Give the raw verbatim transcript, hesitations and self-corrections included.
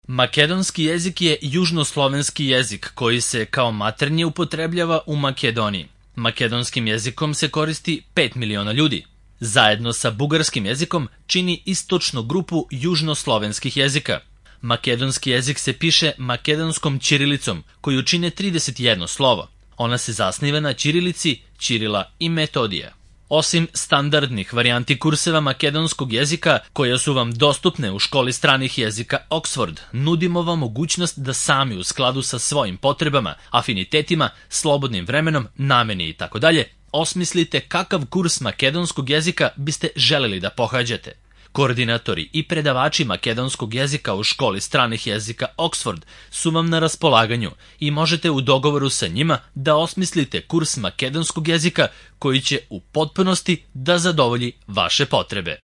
Makedonski jezik je južnoslovenski jezik koji se kao maternji upotrebljava u Makedoniji. Makedonskim jezikom se koristi pet miliona ljudi. Zajedno sa bugarskim jezikom čini istočnu grupu južnoslovenskih jezika. Makedonski jezik se piše makedonskom ćirilicom, koju čine trideset jedno slovo. Ona se zasniva na ćirilici, Ćirila i Metodija. Osim standardnih varijanti kurseva makedonskog jezika, koje su vam dostupne u školi stranih jezika Oxford, nudimo vam mogućnost da sami u skladu sa svojim potrebama, afinitetima, slobodnim vremenom, nameni itd. osmislite kakav kurs makedonskog jezika biste želeli da pohađate. Koordinatori i predavači makedonskog jezika u školi stranih jezika Oxford su vam na raspolaganju i možete u dogovoru sa njima da osmislite kurs makedonskog jezika koji će u potpunosti da zadovolji vaše potrebe.